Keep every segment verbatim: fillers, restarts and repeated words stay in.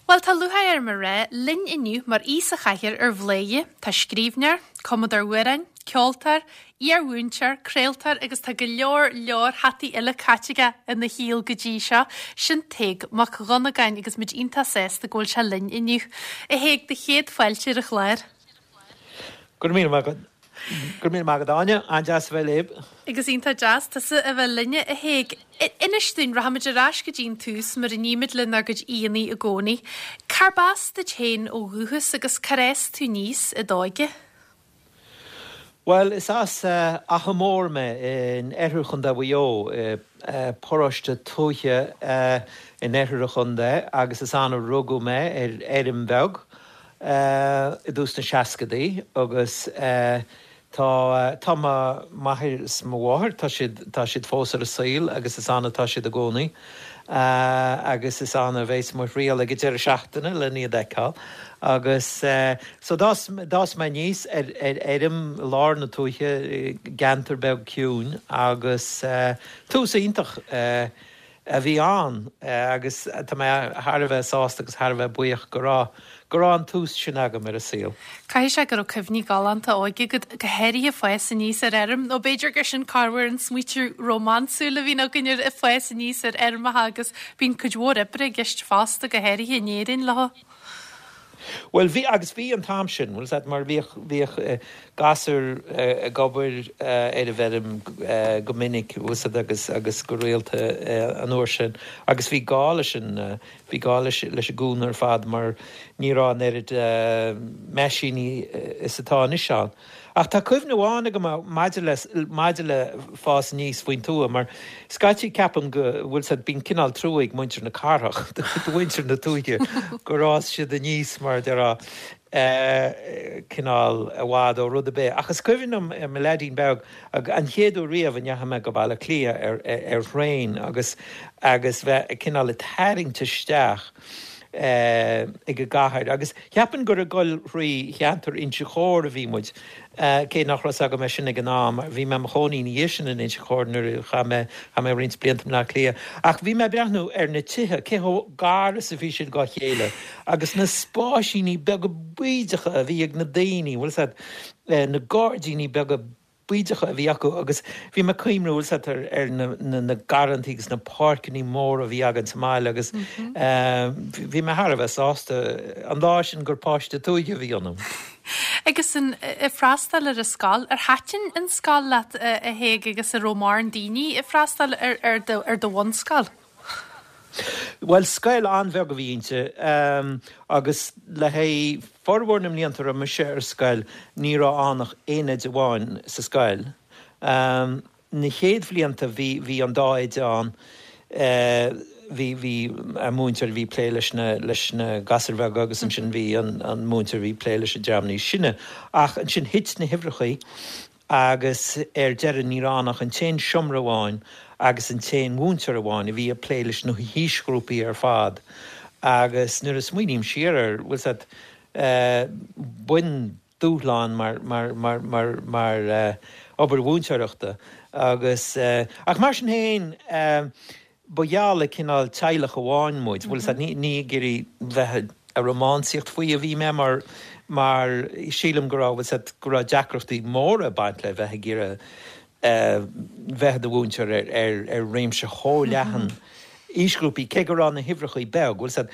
Well tá lúcháir orm a rá linn inniu mar aoi sa chathaoir ar Bhladhaire, tá scríbhneoir, cumadóir amhrán, ceoltóir, iarmhúinteoir, craoltóir agus tá go leor leor hataí eile caite aige ina shaol go dtí seo, sin Tadhg Mac Dhonnagáin agus muid iontach sásta go bhfuil sé linn inniu. A Thaidhg, do chéad fáilte ar an chlár. Go raibh míle maith agat. Go raibh míle maith agat Áine, an-deas a bheith libh. Agus iontach deas tusa a bheith linne a Thaidhg. Inis dúinn rachaimid ar ais go dtí an tús mar a nímid lenár gcuid aíonna i gcónaí. Cárb as duit féin ó dhúchas agus cár fhás tú aníos i d'óige? Well, is as uh, Achadh Mór mé in oirthear Chontae Mhaigh Eo, uh, paróiste tuaithe uh, in oirthear an chontae agus is ann a rugadh mé ar fheirm bheag uh, i dtús na seascadaí agus uh, Tá tá m'athair is mo mháthair tá siad tá siad fós ar an saol agus is ann atá siad i gcónaí. Uh, agus is ann a bheas mo thriall ag deireadh seachtaine le iad a fheiceáil. agus uh, so d'fhás d'fhás mé aníos ar ar fheirm lár na tuaithe ceantar beag ciúin agus uh, tús iontach uh, a bhí ann uh, agus tá mé thar a bheith sásta agus thar a bheith buíoch go raibh go raibh an tús sin agam ar an saol. Caithfidh sé go raibh cuimhní galánta óige agat go háirithe fás aníos ar fheirm, nó b'fhéidir gur sin carhar an smaoineamh rómánsúil a bhíonn againn ar fás aníos ar fheirmeacha agus bíonn cuid mhór oibre i gceist fosta go háirithe in Éirinn leo. Well bhí agus bhí an t-am sin, well mar bhíodh bhíodh uh, gasúir uh, ag obair uh, ar an bhfeirm uh, go minic agus agus go rialta uh, an uair sin agus bhí gá leis sin uh, bhí gá leis leis an gcúnamh ar fad mar ní raibh an oiread uh, meaisíní is atá anois ann. Ach tá cuimhne amháin agam maidir le maidir le fás aníos faoin tuath mar scaití ceapaim go bhfuil said bíonn cineál trua ag muintir na cathrach do mhuintir na tuaithe gur fhás siad aníos mar deir cineál i bhfad ó rud ar bith. Ach is cuimhin liom mo leaidín beag an chéad uair riamh a ndeachaigh mé go Baile Átha Cliath ar ar thraein agus agus bheith cineál ag tarraingt isteach ag an gcathair. agus ceapaim gur ag dul trí cheantar Inse Chór a bhí muid cé nach raibh agam é sin ag an am, bhí mé i mo chónaí sin in Inse Chór nuair a chaith mé mé roinnt blianta i mBaile Átha Cliath. Ach bhí mé breathnú ar na tithe cé chomh gar is a bhí siad dá chéile, agus na spáisíní beaga bídeacha a bhí ag na daoine, bhfuil said na gairdíní beaga bídeacha a bhí acu agus bhí mé cuimhniú ar ar na, na, na garrantaí agus na páirceanna móra a bhí againn sa mbaile agus mm -hmm. uh, bhí mé thar a bheith sásta an lá sin gur páiste tuaithe a bhí ionam. Agus an freastal ar an scoil ar thaitin an scoil leat a Thaidhg agus an raibh mórán daoine ag freastal ar, ar, do, ar do bhunscoil. Well scoil an-bheag a bhí inti um, agus le haghaidh formhór na mblianta a mise ar scoil ní raibh ann ach aon oide amháin sa scoil. Um, na chéad bhlianta bhí bhí an dá oide ann uh, bhí bhí an múinteoir bhí plé leis na leis na gasúir bheaga agus ansin bhí an, an múinteoir bhí plé leis an dream níos sine. Ach ansin thit na huimhreacha agus ar deireadh ní raibh ann ach an t-aon seomra amháin agus an t-aon mhúinteoir amháin a bhí ag plé leis na haoisghrúpaí ar fad. Agus nuair a smaoiním siar air bhfuil said uh, bain dúshlán mar mar mar mar mar uh, obair mhúinteoireachta agus uh, ach mar sin féin uh, ba gheall le cineál teaghlach amháin muid, bhfuil said ní ní ag iarraidh bheith ag rómánsaíocht faoi a bhí mé mar mar sílim go raibh said go raibh deacrachtaí móra ag baint le bheith ag iarraidh bheith i do mhúinteoir ar ar ar réimse chomh leathan aoisghrúpaí cé go raibh na huimhreacha beag, bhfuil said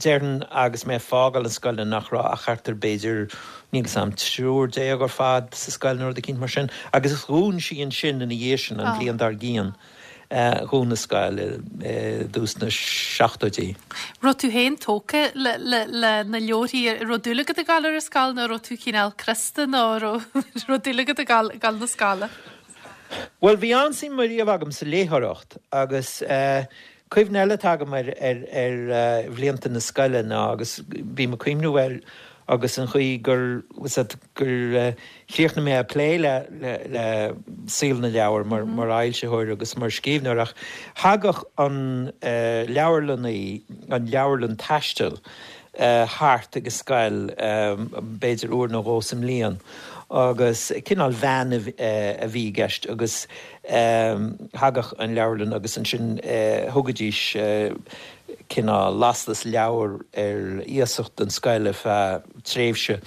déarfainn agus mé ag fágáil an scoil nach raibh ach thart ar b'fhéidir níl a fhios agam triúr déag ar fad sa scoil nó rud éicint mar sin, agus dhún sí ansin ina dhiaidh sin an bhliain dár gcionn. Dhún an scoil i dtús na seachtóidí. Raibh tú féin tógtha le, le, le na leabharthaí raibh dúil agat ag gabháil ar an scoil nó raibh tú cineál crosta nó raibh dúil agat ag gabháil na scoile? Well bhí an-suim riamh agam sa léitheoireacht agus uh, cuimhne eile atá agam ar ar ar uh, bhlianta na scoile ná agus bhí mé ag cuimhniú air agus an chaoi gur gur uh, chríochnaigh mé ag plé le le, le saol na leabhar mar, mm -hmm. mar fhoilsitheoir agus mar scríbhneoir ach thagadh an uh, leabharlannaí an leabharlann taistil thart ag an scoil, b'fhéidir uair nó dhó sa mbliain, agus cineál veain a bhí i gceist agus thagadh an leabharlann agus ansin thugaidís cineál lastas leabhar ar iasacht don scoil ar feadh tréimhse.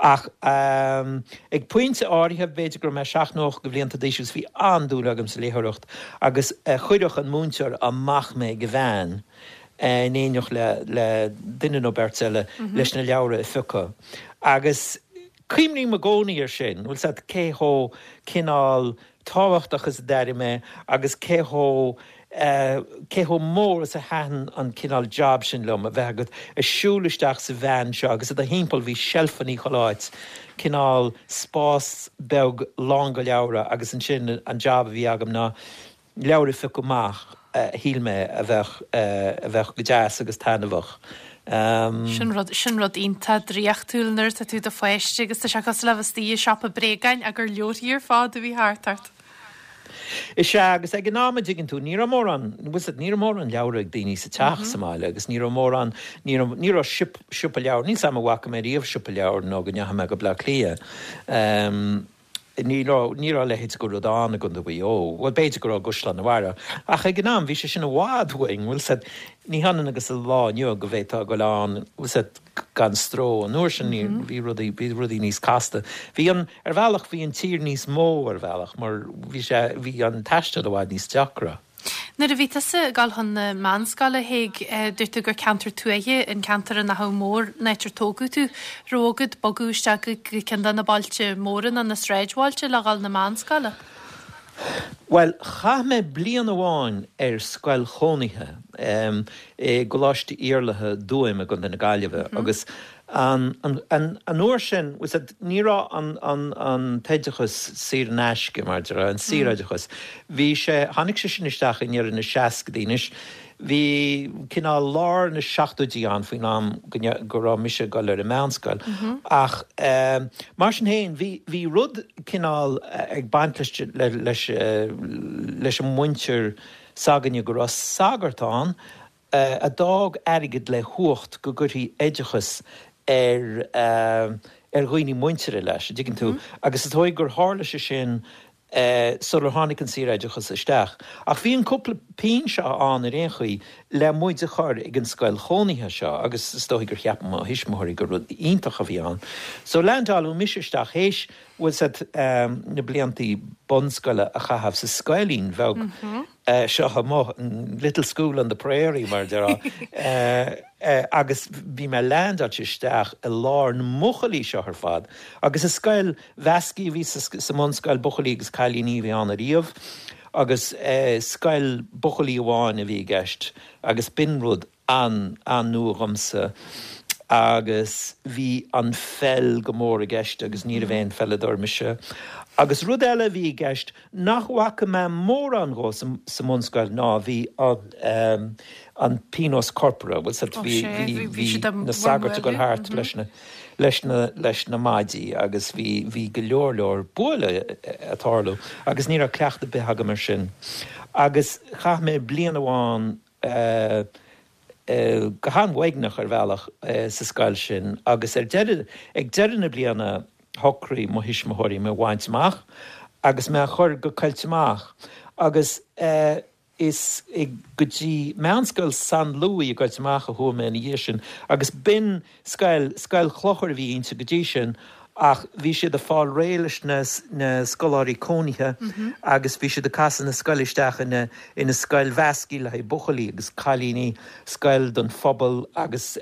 Ach ag pointe áirithe, b'fhéidir go raibh mé seacht nó ocht de bhlianta d'aois agus bhí an-dúil agam sa léitheoireacht agus chuireadh an múinteoir amach mé ag an veain in éineacht le duine nó beirt eile leis na leabhra a phiocadh. Agus cuimhním i gcónaí air sin, bhfuil 's agat, cé chomh cineál tábhachtach is a d'airigh mé agus cé chomh, cé chomh mór is a thaitin an cineál job sin liom, a bheith agat ag siúl isteach sa veain seo agus i do thimpeall bhí seilfeanna chuile áit, cineál spás beag lán go leabhra agus ansin an job a bhí agam ná leabhar a phiocadh amach a shíl mé a bheadh a bheadh go deas agus taitneamhach. Sin rud, sin rud iontach draíochtúil nuair atá tú i do pháiste agus tá sé cosúil le bheith istigh i siopa bréagáin ach gur leabharthaí ar fad a bhí thart ort. Is ea, agus ag an am a dtuigeann tú, ní raibh mórán, bhfuil 's agat, ní raibh mórán leabhar ag daoine sa teach sa mbaile agus ní raibh mórán, ní raibh, ní raibh siopa leabhar, níl 's agam an bhfaca mé riamh siopa leabhar nó go ndeachaigh mé go Bleá Cliath. Ní raibh, ní raibh a leithéid de rud ann i gContae Mhaigh Eo. Bhuel, b'fhéidir go raibh i gCaisleán na Mhara, ach ag an am bhí sé sin i bhfad uainn, bhfuil 's agat, ní hionann agus an lá inniu go bhféadfá a ghoil ann, bhfuil 's agat, gan stró. An uair sin ní, bhí rudaí, bhí rudaí níos casta. Bhí an, ar bhealach, bhí an tír níos mó ar bhealach mar bhí sé, bhí an taisteal i bhfad níos deacra. Nuair a bhí tusa ag dul chun na meánscoile, a Thaidhg, dúirt tú gur ceantar tuaithe an ceantar in Achadh Mór an áit ar tógadh tú. Raibh agat bogadh isteach go ceann de na bailte móra nó na sráidbhailte le dhul na meánscoile? Bhuel, chaith mé bliain amháin ar scoil chónaithe i gColáiste Iarlatha, Tuaim i gContae na Gaillimhe agus An uair sin, bhfuil 's agat, ní raibh an t-oideachas saor in aisce, mar a déarfá, an saoroideachas. Bhí sé, tháinig sé sin isteach i ndeireadh na seascaidí. Anois, bhí cineál lár na seachtóidí ann faoin am go raibh mise ag dul ar an meánscoil. Ach mar sin féin, bhí, bhí rud cineál ag baint leis, leis, leis an muintir s'againne go raibh sagart ann, a d'fhág airgead le huacht go gcuirfí oideachas ar ar dhaoine muinteartha leis, an dtuigeann tú? Agus is dóigh gur tharla sé sin sular tháinig an saoroideachas isteach. Ach bhí an cúpla pingin seo ann ar aon chaoi le muid a chur ag an scoil chónaithe seo agus is dóigh gur cheap mo thuismitheoirí gur rud iontach a bhí ann. So leaindeáladh mise isteach théis, bhfuil 's agat, na bliantaí bunscoile a chaitheamh sa scoilín bheag seo amuigh, little school on the prairie mar a déarfá, agus bhí mé leaindeáilte isteach i lár na mbuachaillí seo ar fad. Agus is scoil mheasctha a bhí sa mbunscoil, buachaillí agus cailíní a bhí ann ariamh, agus scoil buachaillí amháin a bhí i gceist agus b'in rud an-nua dhomsa agus bhí an pheil go mór i gceist agus ní raibh aon pheileadóir mise. Agus rud eile a bhí i gceist nach bhfaca mé mórán dhó sa mbunscoil ná bhí an an pionós corpartha, bhfuil 's agat, bhí bhí bhí na sagairt ag dul thart leis na leis na leis na maidí agus bhí bhí go leor leor bualadh ag tarlú agus ní raibh cleachtadh ar bith agam air sin. Agus chaith mé bliain amháin go han-uaigneach ar bhealach sa scoil sin agus ar deireadh, ag deireadh na bliana shocraigh mo thuismitheoirí mé a bhaint amach agus mé a chur go Coillte Mach agus is go dtí Meánscoil San Louis i gCoillte Mach a chuaigh mé ina dhiaidh sin agus b'in scoil, scoil chlochair a bhí inti go dtí sin Ach bhí siad ag fáil réidh leis na na scoláirí cónaithe agus bhí siad ag casadh na scoile isteach ina ina scoil mheasctha le haghaidh buachaillí agus cailíní, scoil don phobal agus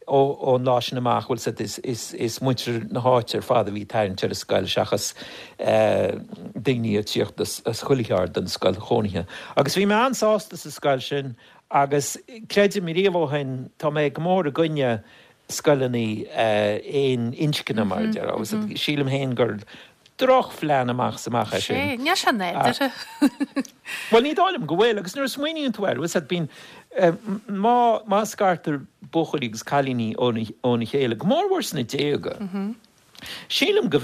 ó ón lá sin amach, bhfuil 's agat, is is is muintir na háite ar fad a bhí ag tarraingt ar an scoil seachas daoine ag tíocht as as chuile cheard don scoil chónaithe. Agus bhí mé an-sásta sa scoil sin agus creidim riamh ó shin, tá mé go mór i gcoinne scoileanna aon inscne mar a déarfá. Agus sílim féin gur drochphlean amach is amach é sin. Sea, níl sé nádúrtha. Bhuel, ní dóigh liom go bhfuil, agus nuair a smaoiníonn tú air, bhfuil 's agat, bíonn, má, má scartar buachaillí agus cailíní óna chéile, go mórmhór sna déaga, Sílim go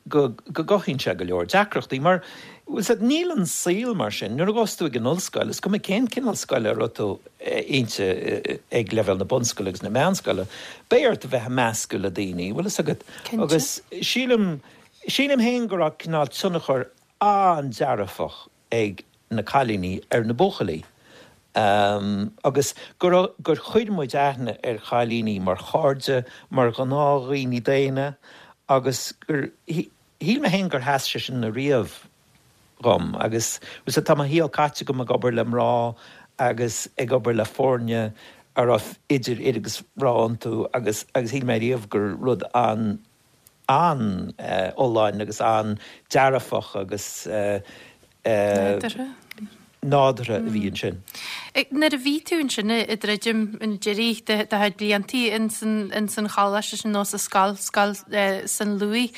go gcothaíonn sé go leor deacrachtaí mar níl an saol mar sin nuair a ghabhas tú ag an ollscoil is cuma cén cineál scoile a raibh tú inti ag leibhéal na bunscoile agus na meánscoile, beidh ort a bheith ag meascadh le daoine, bhfuil fhios agat agus sílim sílim féin go raibh cineál tionchar an-dearfach ag na cailíní ar na buachaillí. Um, agus gur gur chuir muid aithne ar chailíní mar chairde, mar ghnáthdhaoine daonna agus gur shíl mé féin gur sheas sé sin ariamh dhom agus tá mo shaol caite agam ag obair le mná agus ag obair le foirne a raibh idir fhir agus mhná iontu agus agus shíl mé riamh gur rud an an uh, fholláin agus an dearfach agus uh, uh, nádúrtha a bhí ansin. Nuair a bhí tú ansin ag druidim an deiridh de do chuid bliantaí ins an choláiste sin nó sa scoil scoil San Lughaidh.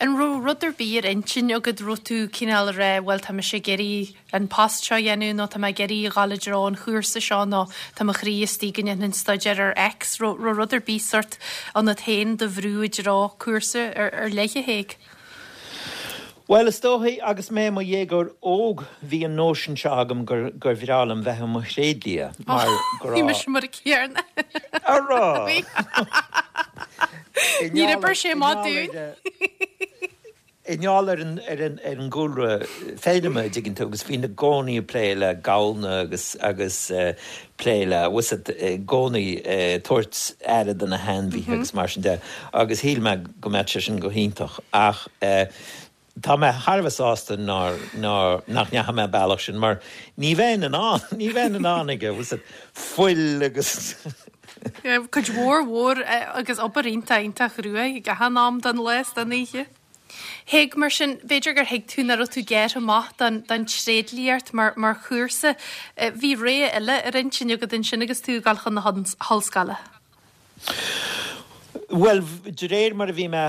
An raibh rud ar bith ar intinn agat raibh tú cineál ag rá bhuel tá mise ag iarraidh an post seo a dhéanamh nó tá mé ag iarraidh a dhul i dtreo an chúrsa seo nó tá mo chroí istigh go ndéanfainn staidéar ar X, raibh rud ar bith sort ionat féin do bhrú i dtreo cúrsa ar ar leith a théigh? Bhuel, is dóichí, agus mé i mo dhéagóir óg, bhí an nóisean seo agam gur gur bhreá liom bheith i mo thréidlia, mar go Bhí raibh. mise mar a céanna. An raibh? Bhí. I Níor ngeall oibir ar- sé i maith ngeall dúinn. ar, I ngeall ar an ar an ar an gcúlra feirme, an dtuigeann tú, agus bhínn i gcónaí ag plé le gamhna agus agus plé le bhfuil fhios agat i gcónaí tabhairt aire do na hainmhithe agus mar sin de agus shíl mé go mbeadh sé sin go hiontach ach tá mé thar a bheith sásta nár nár nach ndeachaigh mé an bealach sin mar ní bheinn in ann ní bheinn in ann aige bhfuil fhios agat fuil agus Cuid mhór mhór agus obair iontach iontach cruaidh ag achan am den lá is den oíche. Thuig, mar sin, b'fhéidir gur thuig tú nach raibh tú gearrtha amach don don tréidliacht mar mar chúrsa. Bhí rogha eile ar intinn agat ansin agus tú ag dul chun na hollscoile. Bhuel, de réir mar a bhí mé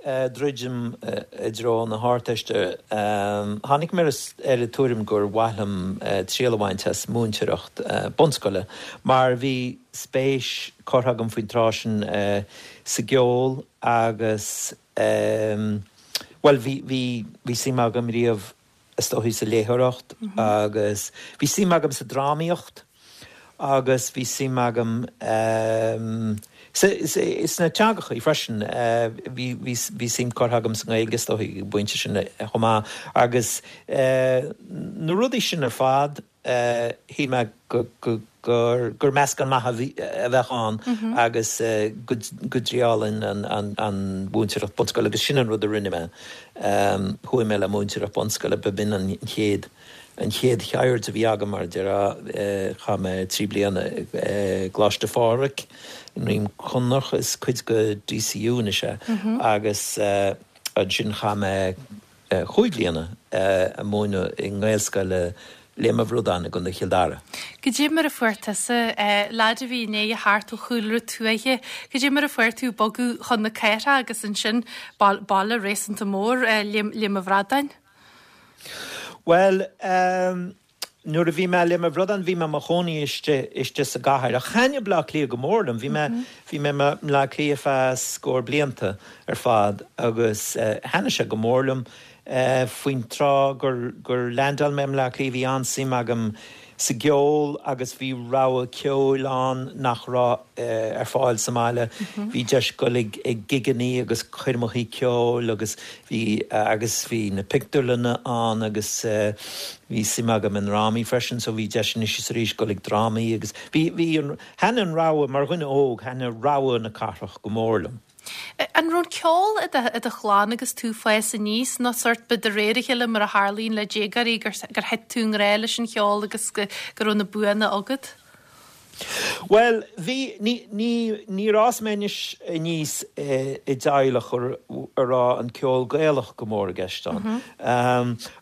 ag druidim i dtreo na hArdteiste, tháinig mé ar an tuairim gur mhaith liom triail a bhaint as múinteoireacht bunscoile, mar bhí spéis curtha agam faoin tráth sin sa gceol agus, bhuel, bhí, bhí, bhí suim agam riamh is dóichí sa léitheoireacht agus bhí suim agam sa drámaíocht agus bhí suim agam sna teangachaí freisin. Bhí bhí suim curtha agam sa nGaeilge is dóichí ag an bpointe sin chomh maith agus na rudaí sin ar fad shíl mé go gur gur meascán maith a bheadh ann agus go go dtriailfinn an an an mhúinteoireacht bunscoile agus sin an rud a rinne mé. Chuaigh mé le múinteoireacht bunscoile, b'in an chéad an chéad cheird a bhí agam mar a déarfá. Chaith mé trí bliana i gColáiste Phádraig i nDroim Conrach, is cuid de DCU anois é, agus ansin chaith mé chúig bliana ag múineadh i nGaelscoil Léim an Bhradáin i gContae Chill Dara. Cad é mar a fuair tusa, leaid a bhí i ndiaidh a theacht ó chúlra tuaithe, cad é mar a fuair tú bogadh chun na cathrach agus ansin baile réasúnta mór, Léim an Bhradáin? Bhuel, nuair a bhí mé i Léim an Bhradáin bhí mé i mo chónaí istigh istigh sa gcathair. Ach thaitnigh Bleá Cliath go mór liom. Bhí mé bhí mé i mBleá Cliath feadh scór blianta ar fad agus thaitnigh sé go mór liom. Faoin tráth gur gur leaindeáil mé i mBleá Cliath bhí an-suim agam sa gceol agus bhí rogha ceoil ann nach raibh ar fáil sa mbaile. Bhí deis dul ag ag gigeannaí agus coirmeachaí ceoil agus bhí agus bhí na pictiúrlanna ann agus bhí suim agam i ndrámaí freisin so bhí deis anois is arís dul ag drámaí agus bhí bhí an thaitnigh an rogha mar dhuine óg thaitnigh rogha na cathrach go mór liom. An raibh an ceol i do i do chlann agus tú ag fás aníos nó sórt ba de réir a chéile mar a tharlaíonn le déagóirí gur gur thit tú i ngrá leis an cheol agus go go raibh na buanna agat? Bhuel, bhí, ní, ní, níor fhás mé anois aníos i dteaghlach a raibh an ceol Gaelach go mór i gceist ann.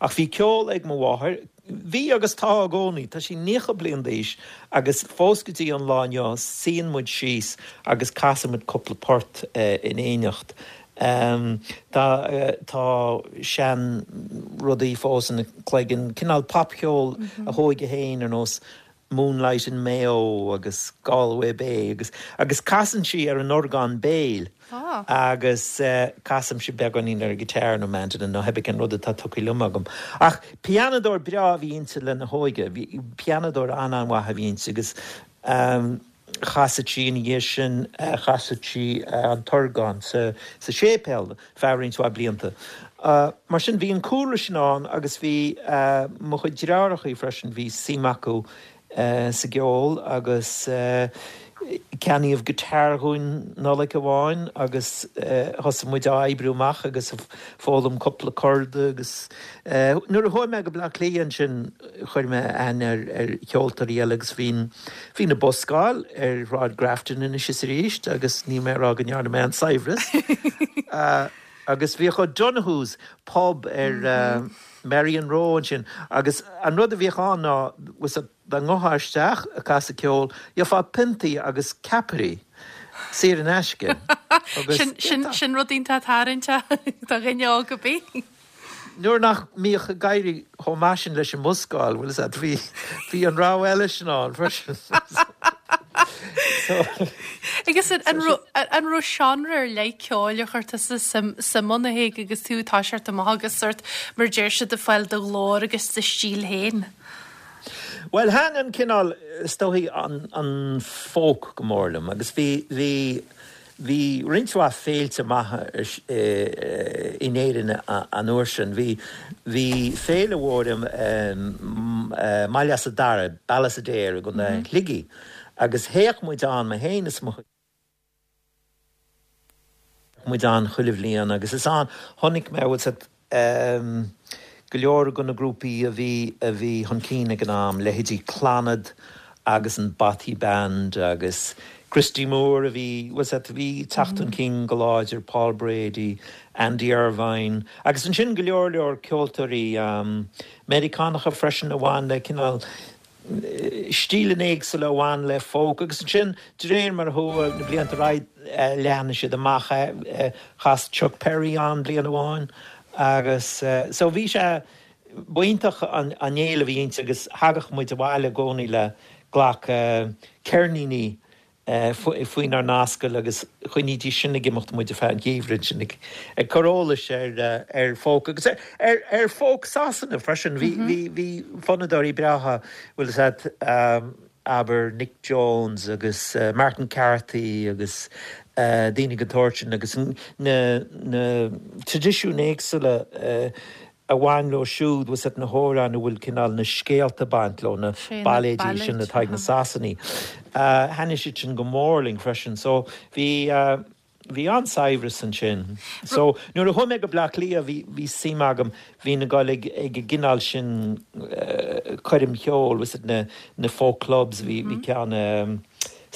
Ach bhí ceol ag mo mháthair, Bhí agus tá i gcónaí. Tá sí naocha bliain d'aois agus fós go dtí an lá inniu suíonn muid síos agus casann muid cúpla port in éineacht. Tá tá sean rudaí fós ina cloigeann, cineál popcheol a hóige féin ar nós Moonlight in Mayo agus Galway Bay agus agus casann sí ar an orgán béil Ah. agus uh, casaimse beagáinín ar guitar nó mandolin nó pé cén rud atá tugtha liom agam. Ach pianadóir breá a bhí inti lena hóige, bhí pianadóir an-an-mhaith a bhí inti agus um, chas sí ina dhiaidh sin uh, chas sí uh, an t-orgán sa, sa séipéal feadh roinnt mhaith blianta. Uh, mar sin bhí an cúlra sin ann agus bhí uh, mo chuid deartháireacha freisin bhí suim acu uh, sa gceol agus uh, ceannaíodh guitar dúinn Nollaig amháin agus uh, thosaigh muid á oibriú amach agus foghlaim cúpla corda agus uh, nuair a chuaigh mé go Bleá Cliath ansin chuir mé aithne ar ar cheoltóirí eile agus bhí'n bhí na buscáil ar Shráid Grafton anois is arís agus ní mé rá go ndearna mé an saibhreas. uh, agus bhíodh O'Donoghue's pub ar uh, Merrion Row ansin agus an rud a bhíodh ann ná was dá ngabhfá isteach ag casadh ceoil gheofá piontaí agus ceapairí saor in aisce. Agus- Sin sin sin rud iontach tarraingteach do dhuine óg ar bith. Nuair nach mbíodh ag éirí chomh maith sin leis an mbuscáil, bhfuil a bhí bhí an rogha eile sin ann freisin. So, Agus an an raibh an raibh seánra ar leith ceoil a chuir tusa suim suim ann a Thaidhg agus tú ag toiseacht amach agus sort mar deir siad ag fáil do ghlór agus do stíl féin. Well thaitin an cineál is dóichí an, an folk go mór liom, agus bhí bhí bhí roinnt mhaith féilte maithe in Éirinn an uair sin. Bhí bhí féile mhór um, uh, Baile Easa Dara, Ballysadare go na Shligigh. Agus théadh muid ann mé féin is mo muid ann chuile bhliain agus is ann chonaic mé bhfuil siad um, go leor de na grúpaí a bhí a bhí chun cinn ag an am leithéidí Clannad agus an Bothy Band agus Christy Moore a bhí was a bhí teacht chun cinn go láidir Paul Brady, Andy Irvine, agus ansin go leor leor ceoltóirí um, Meiriceánacha freisin a bhain le cineál stíleanna éagsúla a bhain le folk agus ansin de réir mar chuaigh na blianta ar aghaidh leathnaigh siad amach chas Chuck Berry an bliain amháin agus so bhí sé b'iontach an an fhéile a bhí inti agus thagadh muid abhaile i gcónaí le glac ceirníní faoinár n-ascaill agus choinnídís sin ag imeacht muid ar feadh an gheimhridh sin ag ag cur eolais ar ar folk agus ar ar ar folk Sasana freisin bhí bhí bhí fonnadóirí breátha bhfuil siad um, abair Nic Jones agus uh, Martin Carthy agus uh, daoine den tsórt sin agus na na traidisiúin éagsúla uh, a bhain leo siúd was na hamhráin a bhfuil cineál na scéalta baint leo na Sé na bailéidí sin bailéid, atá ag na Sasanaigh. Uh, Thaitnigh siad sin go mór linn freisin, so bhí uh, bhí an-saibhreas ansin. So nuair a chuaigh mé go Bleá Cliath bhí bhí suim agam bhí na gáil ag ag an gcineál sin uh, coirm cheoil was na na folk clubs bhí bhí ceann um,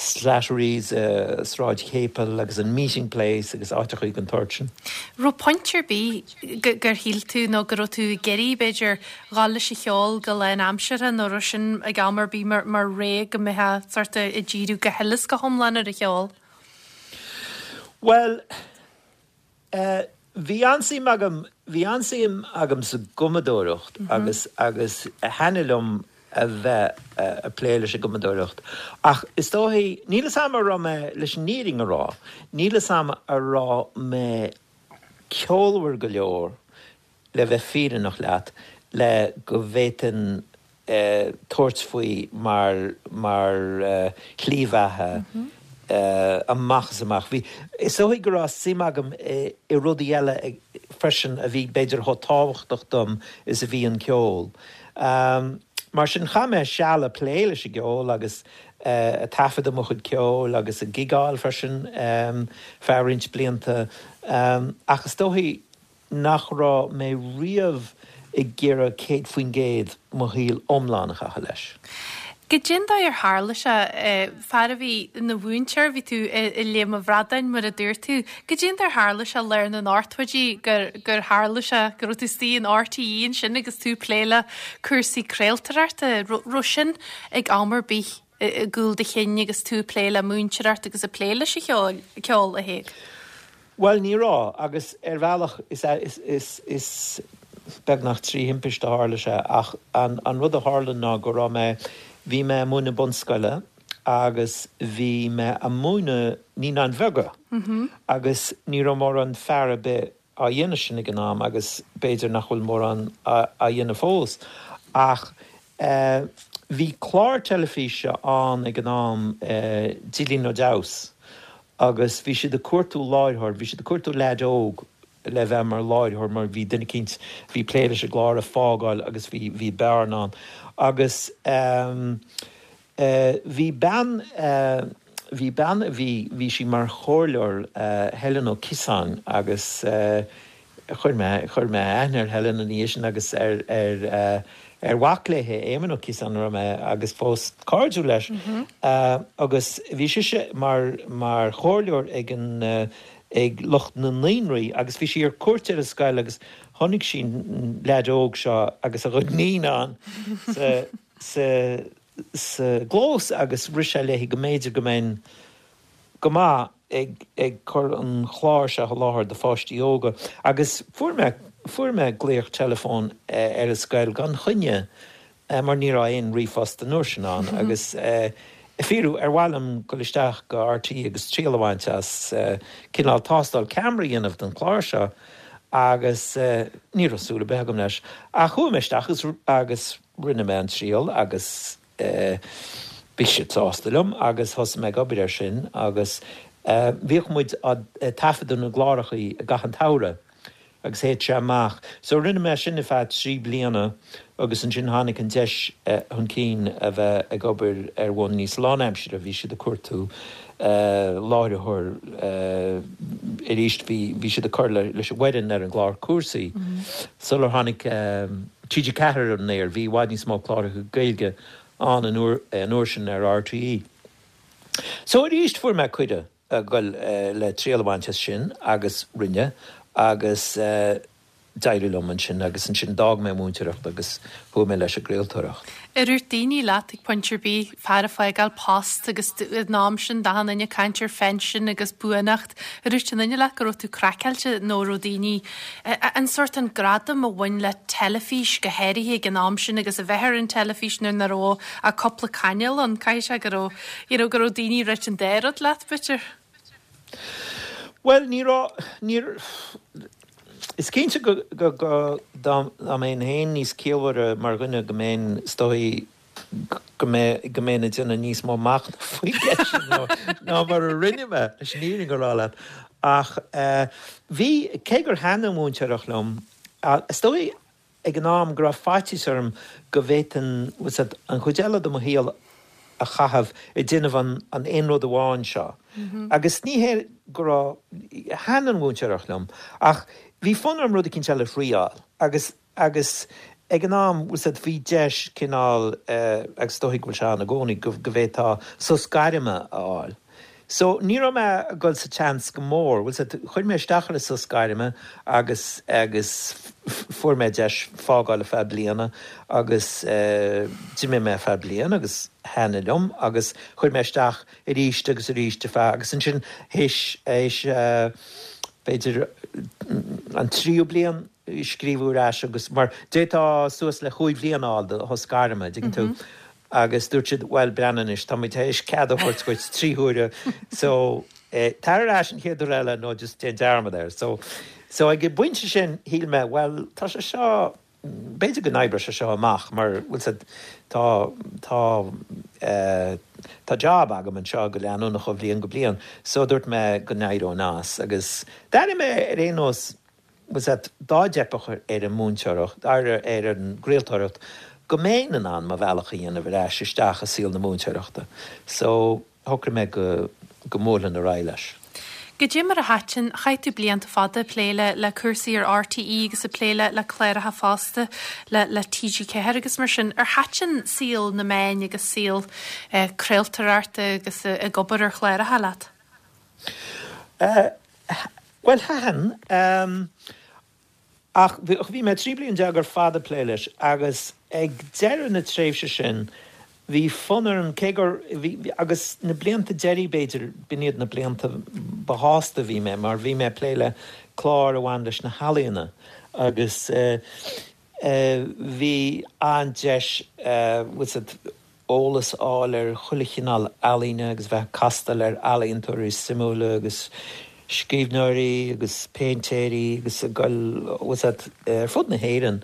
Slattery's uh, Sráid Capel agus an meeting place agus áiteacha den tsórt sin. Raibh pointe ar bith gur shíl tú nó go raibh tú ag iarraidh b'fhéidir dul leis an cheol go lánaimseartha nó raibh sin ag am ar bith mar mar ré go mbeifeá sort ag díriú go huile is go hiomlán ar an cheol. Well, uh, bhí an-suim agam bhí an-suim agam sa gcumadóireacht mm -hmm. agus agus thaitin liom a bheith uh, ag plé leis an gcumadóireacht. Ach is dóichí níl a fhios agam an raibh mé leis an fhírinne a rá, níl a fhios agam an raibh mé ceolmhar go leor le bheith fírinneach leat le go bhféadfainn uh, tabhairt faoi mar mar uh, shlí bheatha mm -hmm. uh, amach is amach. Bhí is dóichí go raibh suim agam i, i rudaí eile freisin a bhí b'fhéidir chomh tábhachtach dom is a bhí an ceol. Um, mar sin chaith mé seal ag plé leis an gceol agus uh, taifeadadh mo chuid ceoil agus ag gigeáil freisin um, feadh roinnt blianta. Um, ach is dóichí nach raibh mé riamh ag iarraidh céad faoin gcéad mo shaol iomlán a chaitheamh leis. Goidé an dóigh ar tharla sé fear a bhí ina mhúinteoir bhí tú i Léim an Bhradáin mar a dúirt tú, Goidé an dóigh ar tharla sé lár na n-ochtóidí gur gur tharla sé go raibh tú istigh in RTÉ ansin agus tú ag plé le cúrsaí craoltóireachta raibh sin ag am ar bith i gcúl do chinn agus tú ag plé le múinteoireacht agus ag plé leis an cheol ceol a Thaidhg. Well ní raibh agus ar bhealach is is is is beagnach trí thimpiste a tharla sé ach an, an rud a tharla ná go raibh mé bhí mé ag múineadh bunscoile agus bhí mé ag múineadh naíonáin bheaga agus ní raibh mórán fear ar bith á dhéanamh sin ag an am agus b'fhéidir nach bhfuil mórán á dhéanamh fós. Ach bhí clár teilifíse ann ag an am, Dílín nó Deabhas, agus bhí siad ag cuartú láithreoir, bhí siad ag cuartú leaid óg le bheith mar láithreoir mar bhí duine eicínt a bhí ag plé leis an gclár ag fágáil agus bhí bhí bearna ann. Agus bhí bean, bhí bean a bhí, bhí sí mar chomhairleoir, Helen Ó Ciosáin agus chuir mé, chuir mé aithne ar Helen ina dhiaidh sin agus ar, ar, ar mhac léi, Éamonn Ó Ciosáin a raibh mé agus fós cairdiúil leis agus bhí sise mar, mar chomhairleoir ag an, ag lucht na naíonraí agus bhí sí ar cuairt ar an scoil agus chonaic sí an leaid óg seo agus a chuid naíonán sa, sa, sa gclós agus rith sé léi go mb'fhéidir go mbeinn go maith ag ag cur an chláir seo i láthair do pháistí óga agus fuair mé fuair mé glaoch teileafóin ar an scoil gan choinne mar ní raibh aon ríomhphost an uair sin ann agus ag fiafraí ar mhaith liom dul isteach go RTÉ agus triail a bhaint as cineál tástáil ceamara a dhéanamh don chlár seo agus ní raibh súil ar bith agam leis ach chuaigh mé isteach agus agus rinne mé an triail agus bhí siad sásta liom agus thosaigh mé ag obair air sin agus bhíodh muid ag taifeadadh na gcláracha i gcaitheamh an tsamhraidh agus théadh sé amach. So rinne mé sin ar feadh trí bliana agus ansin tháinig an deis chun cinn a bheith ag obair ar bhonn níos lánaimseartha, bhí siad ag cuartú láithreoir arís, bhí bhí siad ag cur leis an bhfoireann ar an gclár Cúrsaí sular tháinig TG Ceathair ar an aer, bhí i bhfad níos mó cláracha Gaeilge ann an uair sin ar RTÉ. So arís fuair mé cuireadh a dhul le triail a bhaint as sin agus rinne agus d'éirigh liom ansin agus ansin d'fhág mé an mhúinteoireacht agus chuaigh mé leis an gcraoltóireacht. Ar dhúirt daoine leat ag pointe ar bith fear ag fágáil post agus an am sin d'achan duine ag caint ar phension agus buanacht, ar dhúirt aon duine leat go raibh tú craiceáilte nó raibh daoine, an sórt an gradam a bhain le teilifís go háirithe ag an am sin agus a bheith ar an teilifís nuair nach raibh ach cúpla cainéal ann, caithfidh sé go raibh, you know, go raibh daoine ag ráit an dá rud leat, b'fhéidir? Bhuel, ní raibh, níor, is cinnte go, go, go, dá, dá mbeinn féin níos ciallmhaire mar dhuine go mbeinn, is dóigh, go mbeinn, go mbeinn ag déanamh níos mó machnaimh faoin gceist sin ná, ná mar a rinne mé, leis an fhírinne a rá leat. Ach eh, bhí, cé gur thaitin an mhúinteoireacht liom, is dóigh ag an am go raibh faitíos orm go bhféadfainn, bhfuil 's a'd, an chuid eile de mo shaol a chaitheamh ag déanamh an an aon rud amháin seo. Agus ní hé go raibh, thaitin an mhúinteoireacht liom, ach bhí fonn orm rud eicínt eile a thriáil. Agus, agus ag an am, bhfuil 's a'd, bhí deis cineál, agus is dóigh go bhfuil sé ann i gcónaí, go, go bhféadfá sos gairme a fháil. So, ní raibh mé ag dul sa tseans go mór, bhfuil 's a'd, chuir mé isteach ar an sos gairme agus, agus fuair mé deis fágáil ar feadh bliana agus d'imigh mé ar feadh bliana agus thaitnigh liom agus chuir mé isteach arís agus arís ar feadh, agus ansin théis, théis b'fhéidir an tríú bliain scríobhadh ar ais agus, mar d'fhéadfá suas le chúig bhliain a fháil do shos gairme, an dtuigeann tú? Agus dúirt siad, bhuel, breathnaigh anois, tá muid théis cead a thabhairt dhuit trí huaire, so tar ar ais an chéad uair eile nó just déan dearmad air. So, so ag an bpointe sin, shíl mé, bhuel, tá sé seo, b'fhéidir go n-oibreoidh sé seo amach mar, bhfuil 's a'd, tá, tá, eh, tá job agam anseo go leanúnach ó bhliain go bliain. So dúirt mé go n-éireoinn as agus d'airigh mé ar aon nós, bhfuil 's a'd, dá dteipfeadh ar an múinteoireacht, ar ar an gcraoltóireacht, go mbeinn in ann mo bhealach a dhéanamh ar ais isteach i saol na múinteoireachta. So, shocraigh mé go go mbuailfinn ar aghaidh leis. Goidé mar a thaitin, chaith tú blianta fada ag plé le le cúrsaí ar RTÉ agus ag plé le le cláracha fosta le le TG Ceathair agus mar sin. Ar thaitin saol na meáin agus saol eh craoltóireachta agus ag obair ar chláracha leat? Eh, Bhuel, thaitin. Ach bhí mé trí bliana déag ar fad ag plé leis agus ag deireadh na tréimhse sin bhí fonn orm, cé gur, bhí, agus na blianta deiridh b'fhéidir, b'in iad na blianta ba shásta a bhí mé mar bhí mé ag plé le cláir a bhain leis na healaíona agus bhí an-deis, bhfuil 's a'd, eolas a fháil ar chuile chineál ealaíne agus bheith ag castáil ar ealaíontóirí suimiúla agus scríbhneoirí agus péintéirí agus ag dul bhfuil a fhios agat ar fud na hÉireann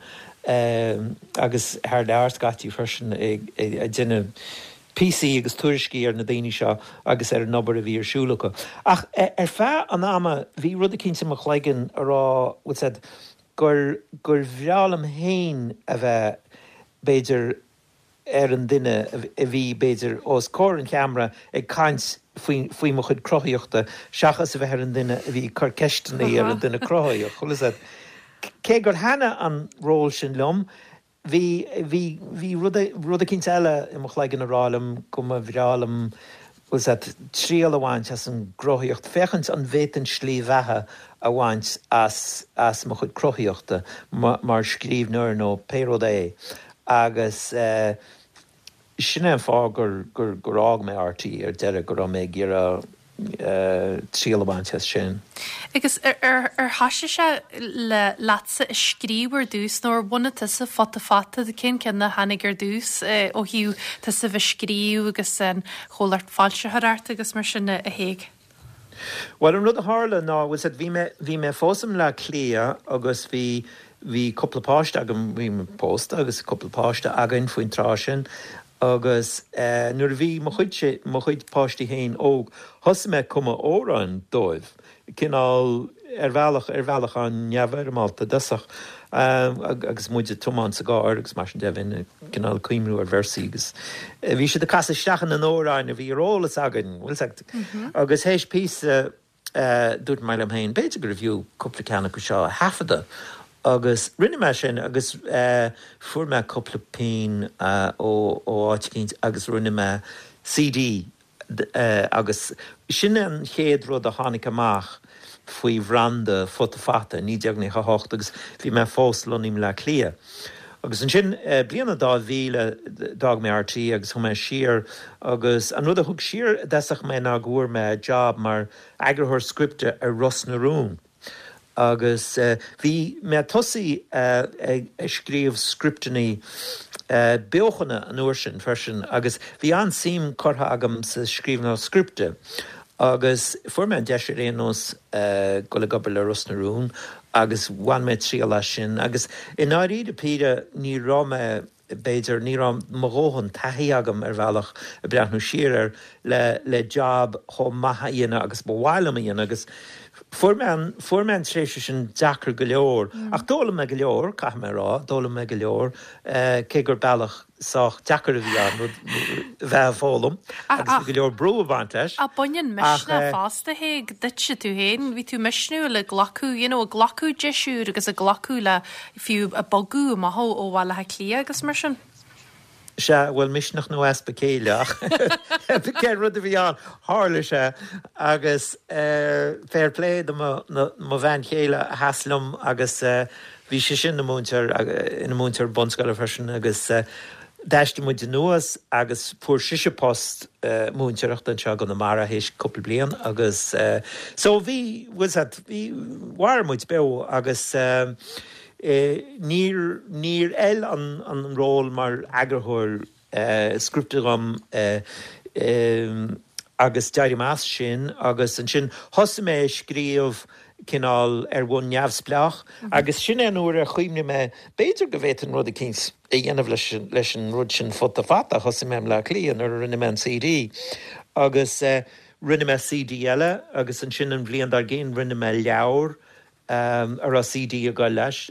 agus thar lear scaití freisin ag déanamh píosaí agus tuairiscí ar na daoine seo agus ar an obair a bhí ar siúl acu. Ach ar feadh an ama bhí rud eicínt i mo chloigeann a rá bhfuil a fhios agat gur gur bhreá liom féin a bheith b'fhéidir ar an duine a bhí b'fhéidir os comhair an cheamara ag caint faoi faoi mo chuid cruthaíochta seachas a bheith ar an duine a bhí ag cur ceisteanna ar an duine cruthaitheach. Bhfuil a fhios agat. Cé gur thaitnigh an ról sin liom, bhí bhí bhí rud rud eicínt eile i mo chloigeann a rá liom go mba bhreá liom bhfuil a fhios agat triail a bhaint as an gcruthaíocht, féachaint an bhféadfainn slí bheatha a bhaint as as mo chuid cruthaíochta mar scríbhneoir nó pé rud é. Agus sin é an fáth gur gur gur fhág mé RTÉ ar deireadh, go raibh mé ag iarraidh triail a bhaint as sin. Agus ar ar ar thoisigh sé le leatsa ag scríobh ar dtús nó ar bhunaigh tusa Futa Fata, cén ceann a tháinig ar dtús ó thaobh tusa bheith ag scríobh agus an chomhlacht foilsitheoireachta agus mar sin a Thaidhg? Bhuel, an rud a tharla ná, bhfuil a fhios agat, bhí mé, bhí mé fós i mBleá Cliath agus bhí, bhí cúpla páiste agam, bhí mé pósta agus cúpla páiste againn faoin tráth sin agus eh nuair a bhí mo chuid, mo chuid páistí féin óg, thosaigh mé ag cumadh amhráin dóibh, cineál, ar bhealach, ar bhealach an-neamhfhoirmeálta i dtosach agus muid ag tiomáint sa gcarr agus mar sin de, bheinn cineál ag cuimhniú ar véarsaí agus bhí siad ag casadh isteach ina n-amhráin a bhí ar eolas againn, bhfuil a fhios agat. Agus théis píosa dúirt mé liom féin, b'fhéidir gurbh fhiú cúpla ceann acu seo a thaifeadadh agus rinne mé sin agus fuair mé cúpla pingin ó áit eicínt agus rinne mé CD Agus sin an chéad rud a tháinig amach faoi bhranda Futa Fata i naoi déag nócha a hocht agus bhí mé fós lonnaithe i mBleá Cliath. Agus ansin, bliain a dá mhíle, d'fhág mé RTÉ agus chuaigh mé siar agus an rud a thug siar i dtosach mé ná go bhfuair mé job mar eagarthóir scripte ar Ros na Rún. Agus bhí mé tosaithe ag scríobh scripteanna beochana an uair sin freisin agus bhí an-suim curtha agam sa scríbhneoireacht scripte agus fuair mé an deis ar aon nós dul ag obair le Ros na Rún agus bhain mé triail as sin agus i ndáiríre píre ní raibh mé b'fhéidir, ní raibh mo dhóthain taithí agam ar bhealach, ag breathnú siar air, le le job chomh maith a dhéanamh agus ba mhaith liom a dhéanamh agus fuair mé an fuair mé an tréimhse sin deacair go leor. Ach d'fhoghlaim mé go leor, caithfidh mé a rá, d'fhoghlaim mé go leor, cé gur bealach sách deacair a bhí ann rud a bheith ag foghlaim agus bhí go leor brú ag baint leis. Ach baineann misneach fosta a Thaidhg duitse tú féin, bhí tú misniúil ag glacadh, you know, ag glacadh deis úr agus ag glacadh le fiú ag bogadh amach ó Bhaile Átha Cliath agus mar sin. Sea, bhuel, misneach nó easpa céille ach cé rud a bhí ann, tharla sé agus fair play do mo mo bhean chéile a sheas liom agus bhí sise ina múinteoir ina múinteoir bunscoile freisin agus D'aistrigh muid anuas agus fuair sise post múinteoireachta anseo i gConamara théis cúpla bliain agus so bhí, bhfuil 's a'd, bhí, mhair muid beo agus níor, níor fheil an, an ról mar eagarthóir scripte dhom agus d'éirigh mé as sin agus ansin thosaigh mé ag scríobh cineál ar bhonn neamhspleách agus sin é an uair ar chuimhnigh mé b'fhéidir go bhféadfainn rud eicínt a dhéanamh leis leis an rud sin Futa Fata. Thosaigh mé i mBleá Cliath nuair a rinne mé an CD agus rinne mé CD eile agus ansin an bhliain dár gcionn rinne mé leabhar a raibh CD ag dul leis.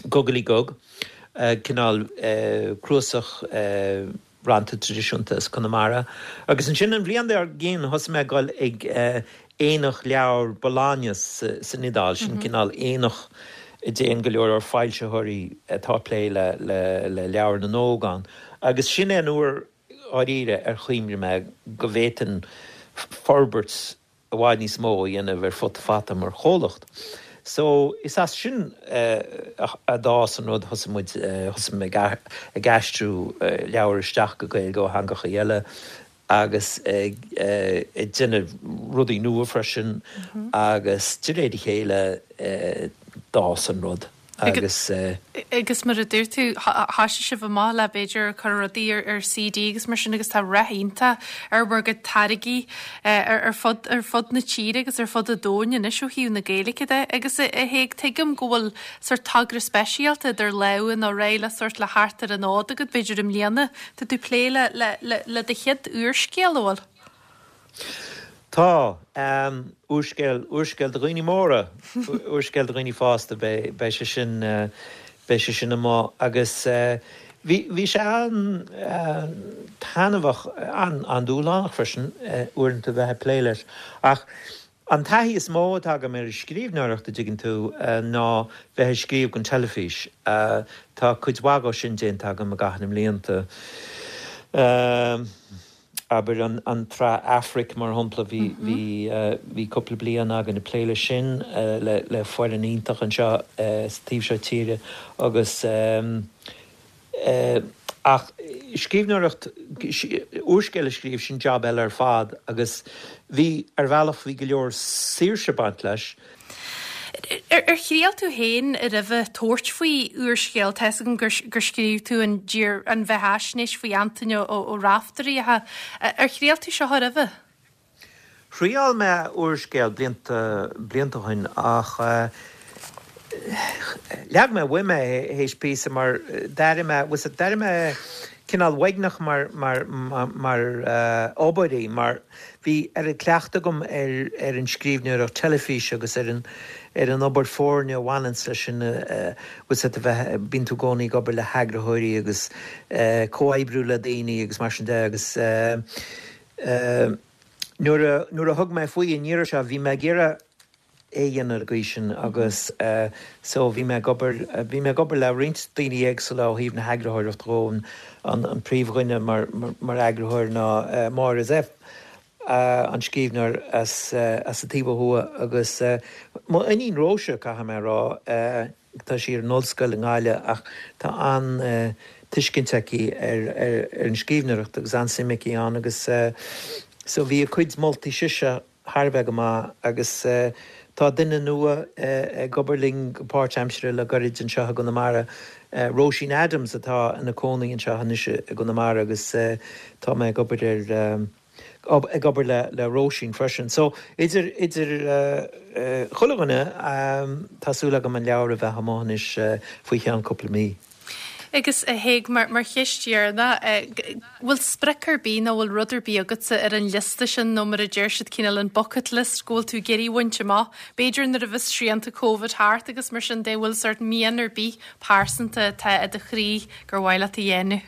Gugalaí Gug, cineál cnuasach rannta traidisiúnta as Conamara. Agus ansin an bhliain dár gcionn thosaigh mé ag dul ag Aonach Leabhar Bologna san Iodáil, sin cineál aonach a dtéann go leor leor foilsitheoirí atá ag plé le le leabhair na n-óg ann. Agus sin é an uair dháiríre ar chuimhnigh mé go bhféadfainn forbairt i bhfad níos mó a dhéanamh ar Futa Fata mar chomhlacht. So, is as sin a d'fhás an rud, thosaigh muid, thosaigh mé ag aistriú leabhair isteach go Gaeilge ó theangacha eile agus ag déanamh rudaí nua freisin agus de réir a chéile d'fhás an rud. Agus agus mar a dúirt tú thosaigh sibh amach le b'fhéidir cur rudaí ar ar C D agus mar sin agus tá rath iontach ar bhur gcuid táirgí ar ar fud ar fud na tíre agus ar fud an domhain anois ó thaobh na Gaeilge de agus a Thaidhg tuigim go bhfuil sórt togra speisialta idir lámha nó réidh le sórt le theacht ar an fhód agat b'fhéidir i mbliana tá tú plé le le le le do chéad úrscéal bhfuil. Tá um, úrscéal úrscéal do dhaoine móra úrscéal do dhaoine fásta beidh sé sin uh, beidh sé sin amach agus uh, bhí bhí sé an uh, taitneamhach an an-dúshlánach freisin uh, uaireanta bheith ag plé leis ach an taithí is mó atá agam ar scríbhneoireacht a dtuigeann tú uh, ná bheith ag scríobh don teilifís uh, tá cuid mhaith sin déanta agam i gcaitheamh na mblianta. Uh, aber an an tsraith Aifric mar shampla bhí bhí uh, bhí cúpla bliain againn ag plé le sin uh, le le foireann iontach anseo uh, sa taobh seo tíre agus um, uh, ach scríbhneoireacht úrscéal a scríobh sin job eile ar fad agus bhí ar bhealach bhí go leor saoirse ag baint leis. Ar ar thriail tú féin a roimhe tabhairt faoi úrscéal tá a fhios agam gur gur scríobh tú an dír an bheathaisnéis faoi Antaine Ó Ó Raiftearaí ar thriail tú seo roimhe? Thriail mé úrscéal blianta blianta ó shin ach uh, leag mé uaim é théis píosa mar d'airigh mé was d'airigh mé cineál uaigneach mar mar mar, mar uh, obair í mar bhí ar an cleachtadh agam ar ar an scríbhneoireacht teilifíse agus ar an ar an obair foirne a bhaineann leis sin uh, was a bheith bíonn tú i gcónaí ag obair le heagraitheoirí agus uh, comhoibriú le daoine agus mar sin de agus uh, uh, nuair a nuair a thug mé faoi an iarraidh seo bhí mé ag iarraidh é dhéanamh go sin agus uh, so bhí mé ag obair uh, bhí mé ag obair le roinnt daoine éagsúla ó thaobh na heagraitheoireachta de an an príomhdhuine mar, mar, mar eagraitheoir ná uh, Máire Zepf uh, an scríbhneoir as, uh, as an taobh thuaidh agus uh, mo iníon Róise caithfidh mé rá uh, tá sí ar an ollscoil i nGaillimh ach tá an uh, tuiscint aici ar, ar, ar an scríbhneoireacht agus an-suim aici ann agus uh, so bhí a cuid moltaí sise thar a bheith go maith agus uh, tá duine nua uh, ag obair linn go páirtaimseartha le gairid anseo i gConamara. Uh, Róisín Adams atá ina cónaí anseo anois i gConamara agus uh, tá mé ag obair ar um, ag obair le le Róisín freisin. So idir idir uh, uh, chuile dhuine um, tá súil agam an leabhar a bheith amach anois uh, faoi cheann cúpla mí. Agus a Thaidhg mar mar cheist dheireanach bhfuil sprioc ar bith nó bhfuil rud ar bith agatsa ar an liosta sin nó mar a deir siad cineál an bucket list go bhfuil tú ag iarraidh a bhaint amach. B'fhéidir nuair a bheas srianta COVID thart agus mar sin de bhfuil sórt mian ar bith pearsanta atá i do chroí gur mhaith leat a dhéanamh.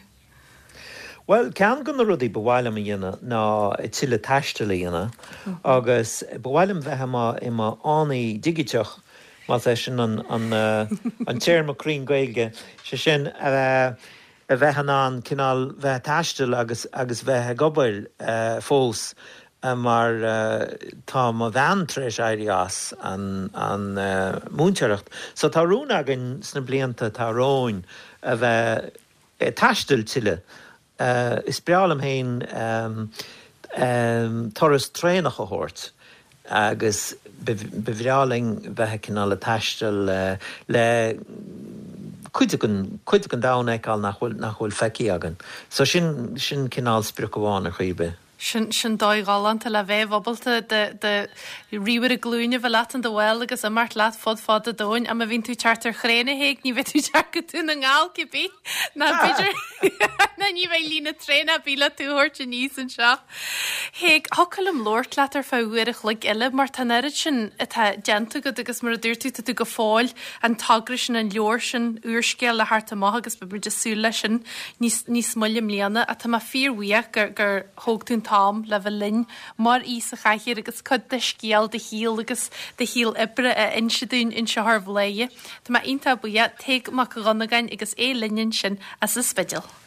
Well ceann de na rudaí ba mhaith liom a dhéanamh ná tuilleadh taistil a dhéanamh agus ba mhaith liom bheith i mo fhánaí digiteach más é sin an an uh, an téarma cruinn Gaeilge sé sin a a bheith in ann cineál bheith ag taisteal agus agus bheith ag obair uh, fós uh, mar uh, tá mo bhean tar éis éirí as an, an uh, múinteoireacht. So tá rún againn sna blianta atá romhainn a bheith ag taisteal tuilleadh. Uh, is breá liom féin um, um, turas traenach a thabhairt agus ba bhreá linn bheith cineál ag taisteal uh, le cuid den cuid den domhan a fheiceáil nach bhfuil nach bhfuil feicthe againn. So sin sin cineál sprioc amháin ar chaoi. Sin sin dóigh ghalánta le bheith ábalta de de ríomhaire glúine bheith leat an do bhfuil agus imeacht leat fud fad an domhain am a bhíonn tú thart ar thraein a Thaidhg ní bheidh tú teacht go Dún na nGall cibé ná b'fhéidir ná ní bheidh líne traenach ar bith le tú a thabhairt aníos anseo. Thaidhg thiocfadh liom labhairt leat ar feadh uair a chloig eile mar tá an oiread sin atá déanta agat agus mar a dúirt tú tá tú go fóill an togra sin an leabhar sin úrscéal le theacht amach agus beidh muid ag súil leis sin níos níos moille i mbliana atá mé fíorbhuíoch gur gur thóg tú an t-am le bheith linn mar aoi sa chathaoir agus cuid de scéal do shaoil agus do shaol oibre a inse dúinn anseo ar Bhladhaire. Tá mé iontach buíoch Tadhg Mac Dhonnagáin agus é linn ansin as an Spidéal.